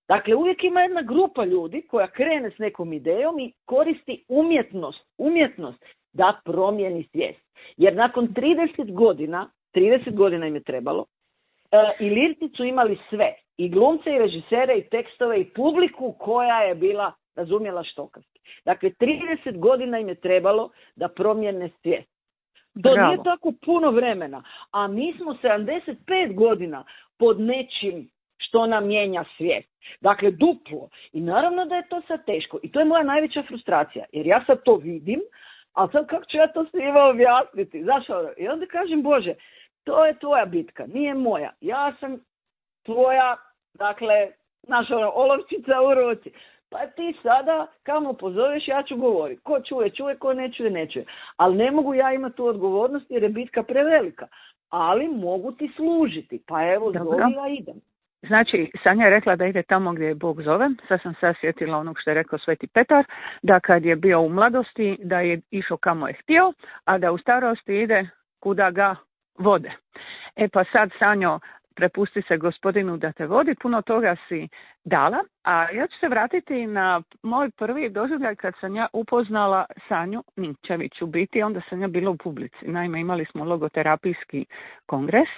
Dakle, uvijek ima jedna grupa ljudi koja krene s nekom idejom i koristi umjetnost, umjetnost da promijeni svijest. Jer nakon trideset godina, trideset godina im je trebalo, e, Ilirci su imali sve. I glumce, i režisere, i tekstove, i publiku koja je bila razumjela štokavski. Dakle, trideset godina im je trebalo da promijene svijest. To Bravo. Nije tako puno vremena, a mi smo sedamdeset pet godina pod nečim što nam mijenja svijest. Dakle, duplo. I naravno da je to sad teško. I to je moja najveća frustracija, jer ja sad to vidim, a sad kako ću ja to svima objasniti? Zašto? I onda kažem, Bože, to je tvoja bitka, nije moja. Ja sam tvoja, dakle, naša ono, olovčica u ruci. Pa ti sada, kamo pozoveš, ja ću govoriti. Ko čuje, čuje, ko ne čuje, ne čuje. Ali ne mogu ja imati tu odgovornost jer je bitka prevelika. Ali mogu ti služiti. Pa evo, zove, ja idem. Znači, Sanja je rekla da ide tamo gdje je Bog zove. Sad sam sad sjetila onog što je rekao Sveti Petar, da kad je bio u mladosti, da je išao kamo je htio, a da u starosti ide kuda ga vode. E pa sad, Sanjo, prepusti se Gospodinu da te vodi, puno toga si dala, a ja ću se vratiti na moj prvi doživljaj kad sam ja upoznala Sanju Ninčević. U biti onda sam ja bila u publici. Naime, imali smo logoterapijski kongres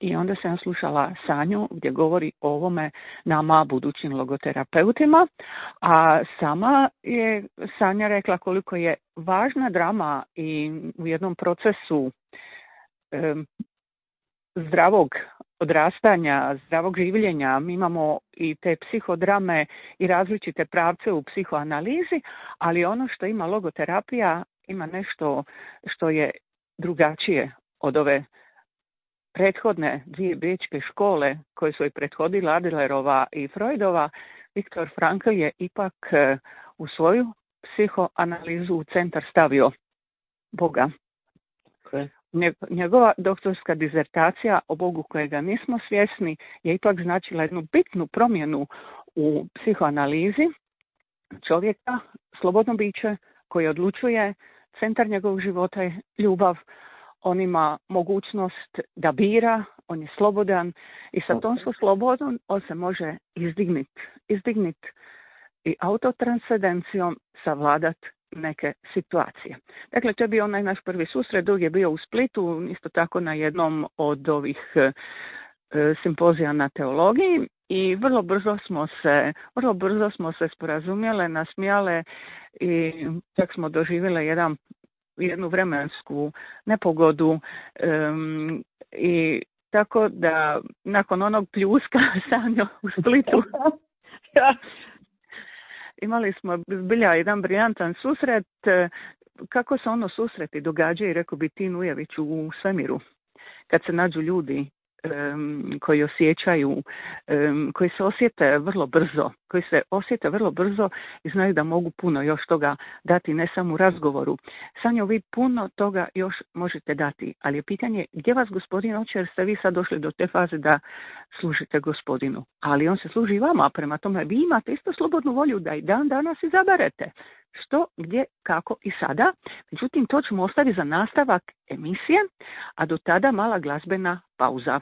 i onda sam ja slušala Sanju gdje govori o ovome nama budućim logoterapeutima, a sama je Sanja rekla koliko je važna drama i u jednom procesu um, zdravog odrastanja, zdravog življenja. Mi imamo i te psihodrame i različite pravce u psihoanalizi, ali ono što ima logoterapija ima nešto što je drugačije od ove prethodne dvije bečke škole koje su i prethodila Adlerova i Freudova. Viktor Frankl je ipak u svoju psihoanalizu u centar stavio Boga. Okay. Njegova doktorska dizertacija o Bogu kojega nismo svjesni je ipak značila jednu bitnu promjenu u psihoanalizi čovjeka, slobodno biće koje odlučuje, centar njegovog života je ljubav, on ima mogućnost da bira, on je slobodan i sa tom svojom slobodom on se može izdignit, izdignit i autotranscendencijom savladat neke situacije. Dakle, to je bio onaj naš prvi susret, dok je bio u Splitu, isto tako na jednom od ovih e, simpozija na teologiji i vrlo brzo smo se, vrlo brzo smo se sporazumjele, nasmijale i čak smo doživjele jedan, jednu vremensku nepogodu um, i tako da nakon onog pljuska Sanjo u Splitu imali smo zbilja jedan briljantan susret. Kako se ono susreti događaju, rekao bi Tin Ujević, u svemiru. Kad se nađu ljudi um, koji osjećaju, um, koji se osjete vrlo brzo, koji se osjete vrlo brzo i znaju da mogu puno još toga dati, ne samo u razgovoru. Sanjo, vi puno toga još možete dati, ali je pitanje gdje vas Gospodin hoće, jer ste vi sad došli do te faze da služite Gospodinu. Ali on se služi i vama, prema tome vi imate isto slobodnu volju da i dan danas izaberete što, gdje, kako i sada. Međutim, to ćemo ostaviti za nastavak emisije, a do tada mala glazbena pauza.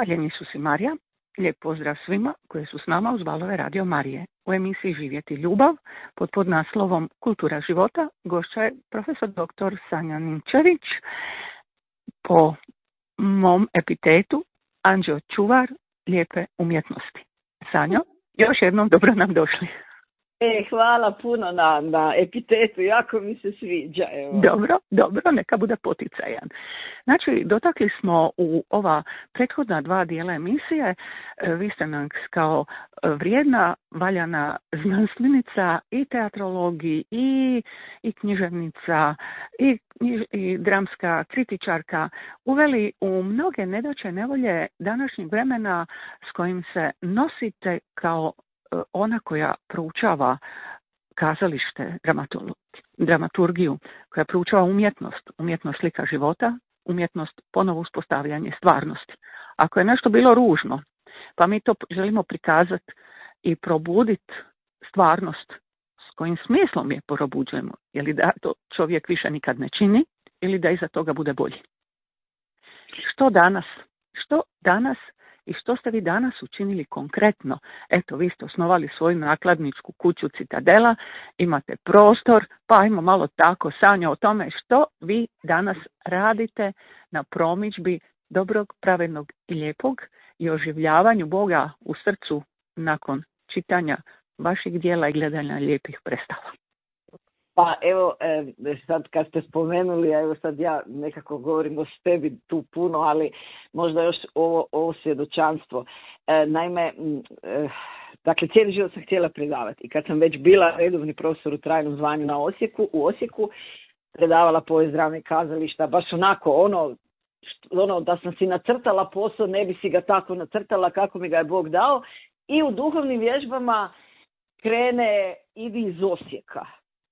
Hvaljeni su si Marija. Lijep pozdrav svima koji su s nama uz valove Radio Marije. U emisiji Živjeti ljubav pod podnaslovom Kultura života gošća je profesor doktor Sanja Ninčević, po mom epitetu anđeo čuvar lijepe umjetnosti. Sanjo, još jednom dobro nam došli. E, hvala puno na, na epitetu, jako mi se sviđa. Evo. Dobro, dobro, neka bude poticajan. Znači, dotakli smo u ova prethodna dva dijela emisije, vi ste nam kao vrijedna, valjana znanstvenica i teatrologi i, i književnica i, i, i dramska kritičarka uveli u mnoge nedaće nevolje današnjeg vremena s kojim se nosite kao ona koja proučava kazalište, dramaturgiju, koja proučava umjetnost, umjetnost slika života, umjetnost ponovo uspostavljanje stvarnosti. Ako je nešto bilo ružno, pa mi to želimo prikazati i probuditi stvarnost, s kojim smislom je probuđujemo, je li da to čovjek više nikad ne čini ili da iza toga bude bolji. Što danas? Što danas i što ste vi danas učinili konkretno? Eto, vi ste osnovali svoju nakladničku kuću Citadela, imate prostor, pa ajmo malo tako, Sanja, o tome što vi danas radite na promidžbi dobrog, pravednog i lijepog i oživljavanju Boga u srcu nakon čitanja vaših dijela i gledanja lijepih predstava. Pa evo, sad kad ste spomenuli, evo sad ja nekako govorim o tebi tu puno, ali možda još ovo, ovo svjedočanstvo. Naime, dakle, cijeli život sam htjela predavati i kad sam već bila redovni profesor u trajnom zvanju na Osijeku, u Osijeku, predavala povijest drame i kazališta, baš onako ono, ono da sam si nacrtala posao, ne bi si ga tako nacrtala kako mi ga je Bog dao, i u duhovnim vježbama krene idi iz Osijeka.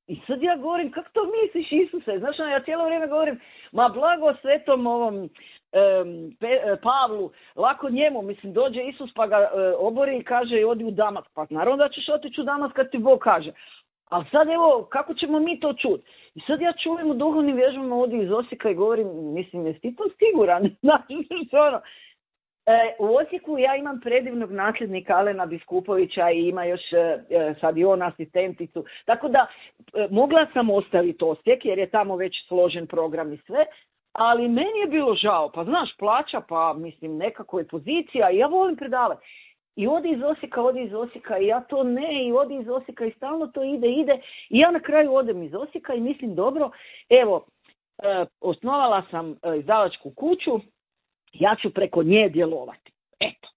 I sad ja govorim, kako to misliš, Isuse? Znaš, ja cijelo vrijeme govorim, ma blago svetom ovom um, Pe, Pavlu, lako njemu, mislim, dođe Isus pa ga uh, obori i kaže odi u Damask. Pa naravno da ćeš otići u Damask kad ti Bog kaže. Ali sad evo, kako ćemo mi to čuti? I sad ja čujem u duhovnim vježbama odi iz Osijeka i govorim, mislim, jesi ti to siguran? Znaš, što ono? E, u Osijeku ja imam predivnog nasljednika Alena Biskupovića i ima još e, sad i on asistenticu. Tako da e, mogla sam ostaviti Osijek jer je tamo već složen program i sve, ali meni je bilo žao. Pa znaš, plaća, pa mislim nekako je pozicija i ja volim predavati. I odi iz Osijeka, odi iz Osijeka i ja to ne, i odi iz Osijeka i stalno to ide, ide. I ja na kraju odem iz Osijeka i mislim dobro, evo, e, osnovala sam e, izdavačku kuću, ja ću preko nje djelovati. Eto.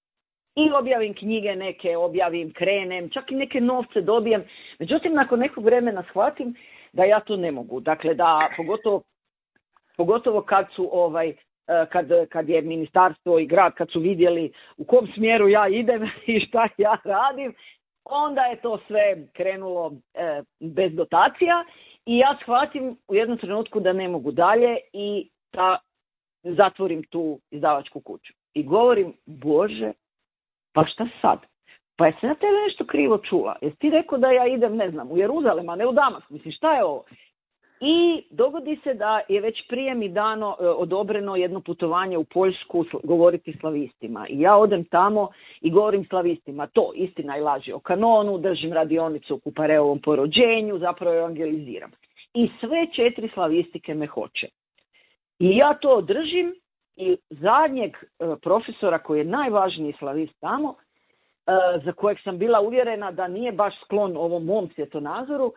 I objavim knjige neke, objavim, krenem, čak i neke novce dobijem. Međutim, nakon nekog vremena shvatim da ja to ne mogu. Dakle, da pogotovo, pogotovo kad su ovaj, kad, kad je ministarstvo i grad, kad su vidjeli u kom smjeru ja idem i šta ja radim, onda je to sve krenulo e, bez dotacija i ja shvatim u jednom trenutku da ne mogu dalje i da zatvorim tu izdavačku kuću. I govorim, Bože, pa šta sad? Pa jesam ja tebe nešto krivo čula? Jesi ti rekao da ja idem, ne znam, u Jeruzalem, a ne u Damask? Mislim, šta je ovo? I dogodi se da je već prije mi dano, e, odobreno jedno putovanje u Poljsku govoriti slavistima. I ja odem tamo i govorim slavistima to, istina i laži o kanonu, držim radionicu u Kupareovom porođenju, zapravo evangeliziram. I sve četiri slavistike me hoće. I ja to održim i zadnjeg e, profesora koji je najvažniji slavist tamo, e, za kojeg sam bila uvjerena da nije baš sklon ovom mom svjetonazoru,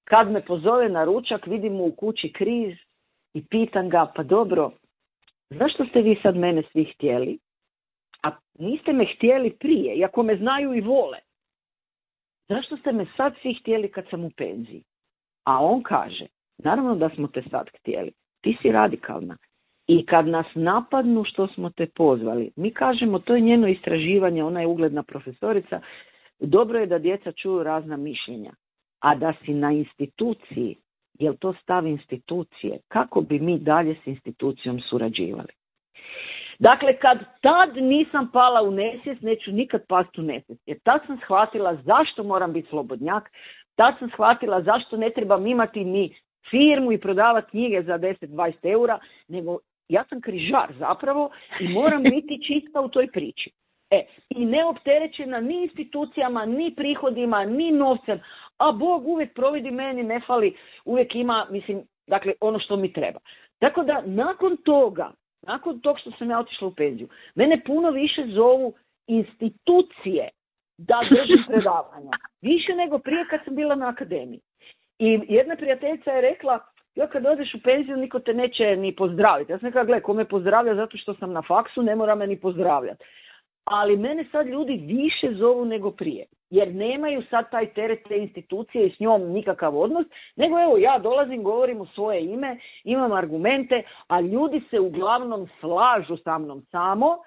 kad me pozove na ručak, vidim mu u kući križ i pitam ga, pa dobro, zašto ste vi sad mene svi htjeli? A niste me htjeli prije, iako me znaju i vole. Zašto ste me sad svi htjeli kad sam u penziji? A on kaže, naravno da smo te sad htjeli. Ti si radikalna. I kad nas napadnu što smo te pozvali, mi kažemo, to je njeno istraživanje, ona je ugledna profesorica, dobro je da djeca čuju razna mišljenja. A da si na instituciji, jel to stav institucije, kako bi mi dalje s institucijom surađivali? Dakle, kad tad nisam pala u nesvijest, neću nikad pasti u nesvijest. Jer tad sam shvatila zašto moram biti slobodnjak, tad sam shvatila zašto ne trebam imati ni firmu i prodavati knjige za deset do dvadeset eura, nego ja sam križar zapravo i moram biti čista u toj priči. E, i neopterećena ni institucijama, ni prihodima, ni novcem, a Bog uvijek providi, meni ne fali, uvijek ima, mislim, dakle, ono što mi treba. Tako da, nakon toga, nakon tog što sam ja otišla u penziju, mene puno više zovu institucije da držim predavanja. Više nego prije kad sam bila na akademiji. I jedna prijateljica je rekla, ja kad odeš u penziju, niko te neće ni pozdraviti. Ja sam rekla, gle, ko me pozdravlja zato što sam na faksu, ne mora me ni pozdravljati. Ali mene sad ljudi više zovu nego prije. Jer nemaju sad taj teret te institucije i s njom nikakav odnos. Nego evo, ja dolazim, govorim u svoje ime, imam argumente, a ljudi se uglavnom slažu sa mnom samo.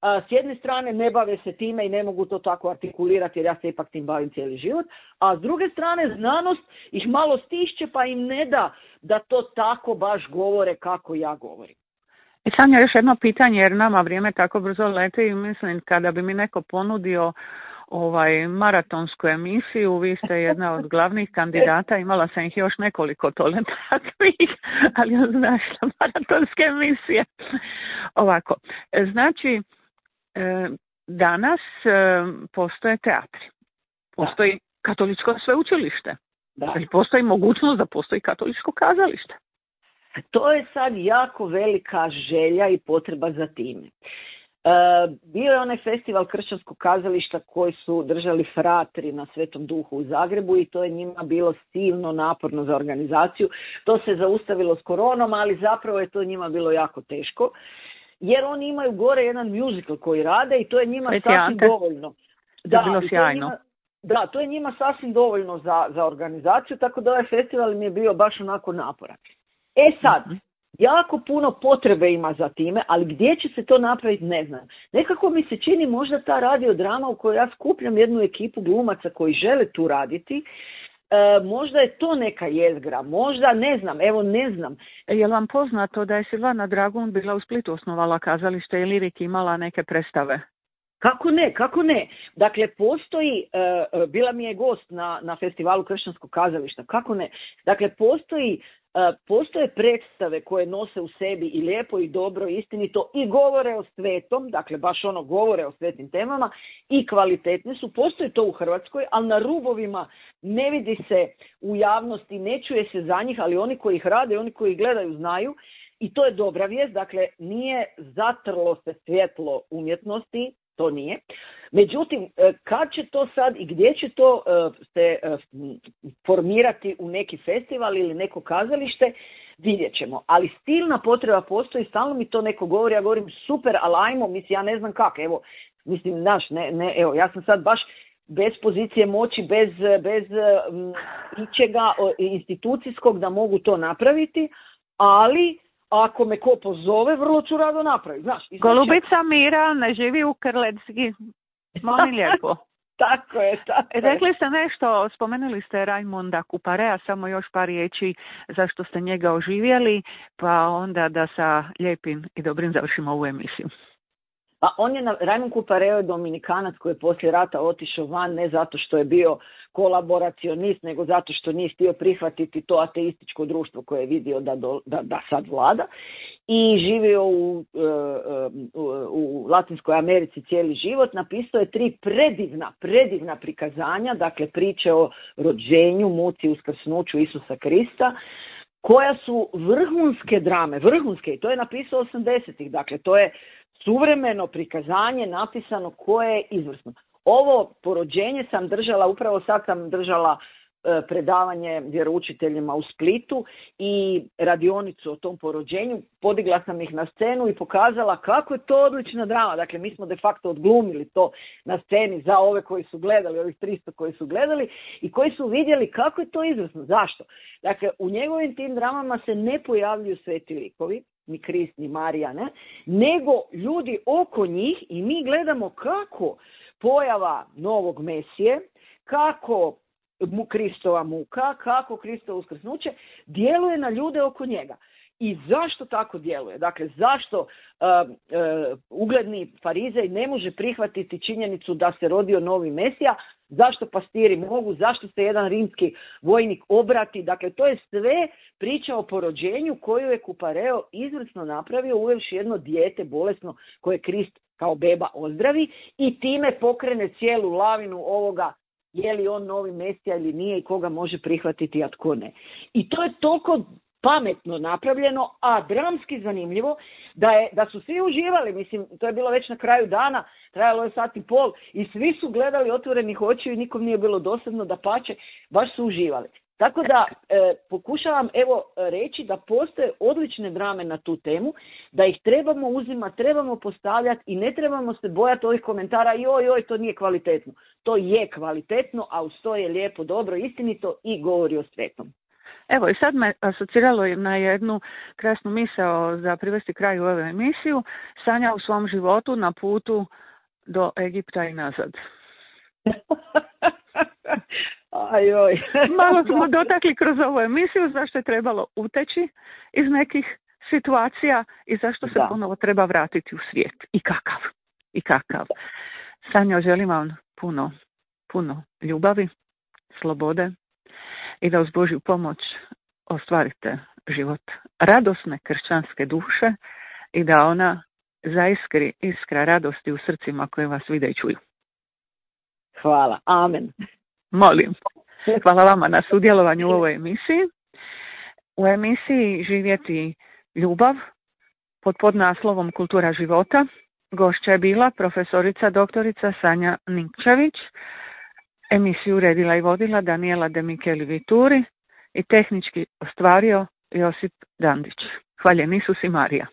A s jedne strane ne bave se time i ne mogu to tako artikulirati jer ja se ipak tim bavim cijeli život. A s druge strane znanost ih malo stišće pa im ne da da to tako baš govore kako ja govorim. I Sanja, još jedno pitanje, jer nama vrijeme tako brzo leti i mislim kada bi mi neko ponudio ovaj maratonsku emisiju, vi ste jedna od glavnih kandidata, imala sam ih još nekoliko tole takvih, ali ja znaš što maratonske emisije. Ovako, znači danas postoje teatri, postoji da. Katoličko sveučilište, da. Ali postoji mogućnost da postoji katoličko kazalište. To je sad jako velika želja i potreba za time. E, bio je onaj festival kršćanskog kazališta koji su držali fratri na Svetom Duhu u Zagrebu i to je njima bilo silno naporno za organizaciju. To se zaustavilo s koronom, ali zapravo je to njima bilo jako teško. Jer oni imaju gore jedan musical koji rade i to je njima Sveti sasvim Ante. Dovoljno. Da, to je bilo sjajno. Njima, da, to je njima sasvim dovoljno za, za organizaciju, tako da ovaj festival mi je bio baš onako naporan. E sad, jako puno potrebe ima za time, ali gdje će se to napraviti ne znam. Nekako mi se čini možda ta radiodrama u kojoj ja skupljam jednu ekipu glumaca koji žele tu raditi, E, možda je to neka jezgra, možda ne znam, evo ne znam. Je li vam poznato da je Silvana Dragun bila u Splitu, osnovala kazalište i Lirik imala neke predstave? Kako ne, kako ne. Dakle, postoji, uh, bila mi je gost na, na festivalu kršćanskog kazališta, kako ne. Dakle, postoji, uh, postoje predstave koje nose u sebi i lijepo i dobro, istinito i govore o svetom, dakle baš ono govore o svetim temama i kvalitetne su. Postoji to u Hrvatskoj, ali na rubovima ne vidi se u javnosti, ne čuje se za njih, ali oni koji ih rade, oni koji ih gledaju znaju. I to je dobra vijest, dakle nije zatrlo se svjetlo umjetnosti, to nije. Međutim, kad će to sad i gdje će to se formirati u neki festival ili neko kazalište, vidjet ćemo. Ali stilna potreba postoji, stalno mi to neko govori, ja govorim super, ali ajmo, mislim, ja ne znam kako, evo, mislim, naš, ne, ne, evo, ja sam sad baš bez pozicije moći, bez, bez um, ičega institucijskog da mogu to napraviti, ali ako me ko pozove, vrlo ću rado napraviti. Znaš, Golubica Mira ne živi u Krlecki. Molim lijepo. Tako je, tako je. Rekli ste nešto, spomenuli ste Rajmunda Kuparea, samo još par riječi zašto ste njega oživjeli, pa onda da sa lijepim i dobrim završimo ovu emisiju. Pa on je, na, Rajmund Kupareo je Dominikanac koji je poslije rata otišao van ne zato što je bio kolaboracionist, nego zato što nije htio prihvatiti to ateističko društvo koje je vidio da, do, da, da sad vlada i živio u, u, u Latinskoj Americi cijeli život. Napisao je tri predivna, predivna prikazanja, dakle priče o rođenju, muci, uskrsnuću Isusa Krista, koja su vrhunske drame, vrhunske, i to je napisao osamdesetih, dakle to je suvremeno prikazanje napisano koje je izvrsno. Ovo porođenje sam držala, upravo sad sam držala e, predavanje vjeroučiteljima u Splitu i radionicu o tom porođenju. Podigla sam ih na scenu i pokazala kako je to odlična drama. Dakle, mi smo de facto odglumili to na sceni za ove koji su gledali, ovih tristo koji su gledali i koji su vidjeli kako je to izvrsno. Zašto? Dakle, u njegovim tim dramama se ne pojavljuju sveti likovi, ni Krist, ni Marija, ne, nego ljudi oko njih i mi gledamo kako pojava novog Mesije, kako mu Kristova muka, kako Kristovo uskrsnuće djeluje na ljude oko njega. i zašto tako djeluje. Dakle, zašto uh, uh, ugledni farizej ne može prihvatiti činjenicu da se rodio novi Mesija, zašto pastiri mogu, zašto se jedan rimski vojnik obrati. Dakle, to je sve priča o porođenju koju je Kupareo izvrsno napravio uvevši jedno dijete bolesno koje Krist kao beba ozdravi i time pokrene cijelu lavinu ovoga je li on novi Mesija ili nije i koga može prihvatiti, a tko ne. I to je toliko pametno napravljeno, a dramski zanimljivo da, je, da su svi uživali, mislim, to je bilo već na kraju dana, trajalo je sat i pol i svi su gledali otvorenih očiju i nikom nije bilo dosadno, dapače, baš su uživali. Tako da e, pokušavam evo reći da postoje odlične drame na tu temu, da ih trebamo uzimati, trebamo postavljati i ne trebamo se bojati ovih komentara joj, joj, to nije kvalitetno. To je kvalitetno, a uz to je lijepo, dobro, istinito i govori o svetom. Evo i sad me asociralo na jednu krasnu misao za privesti kraju ove emisiju. Sanja u svom životu na putu do Egipta i nazad. Ajoj. Malo smo dotakli kroz ovu emisiju zašto je trebalo uteći iz nekih situacija i zašto se da. ponovo treba vratiti u svijet. I kakav. I kakav. Sanja, želim vam puno, puno ljubavi, slobode i da uz Božju pomoć ostvarite život radosne kršćanske duše i da ona zaiskri iskra radosti u srcima koje vas vide i čuju. Hvala. Amen. Molim. Hvala vama na sudjelovanju u ovoj emisiji. U emisiji Živjeti ljubav pod podnaslovom Kultura života gošća je bila profesorica doktorica Sanja Nikčević. Emisiju uredila i vodila Daniela De Micheli Vituri i tehnički ostvario Josip Dandić. Hvaljen Isus i Marija.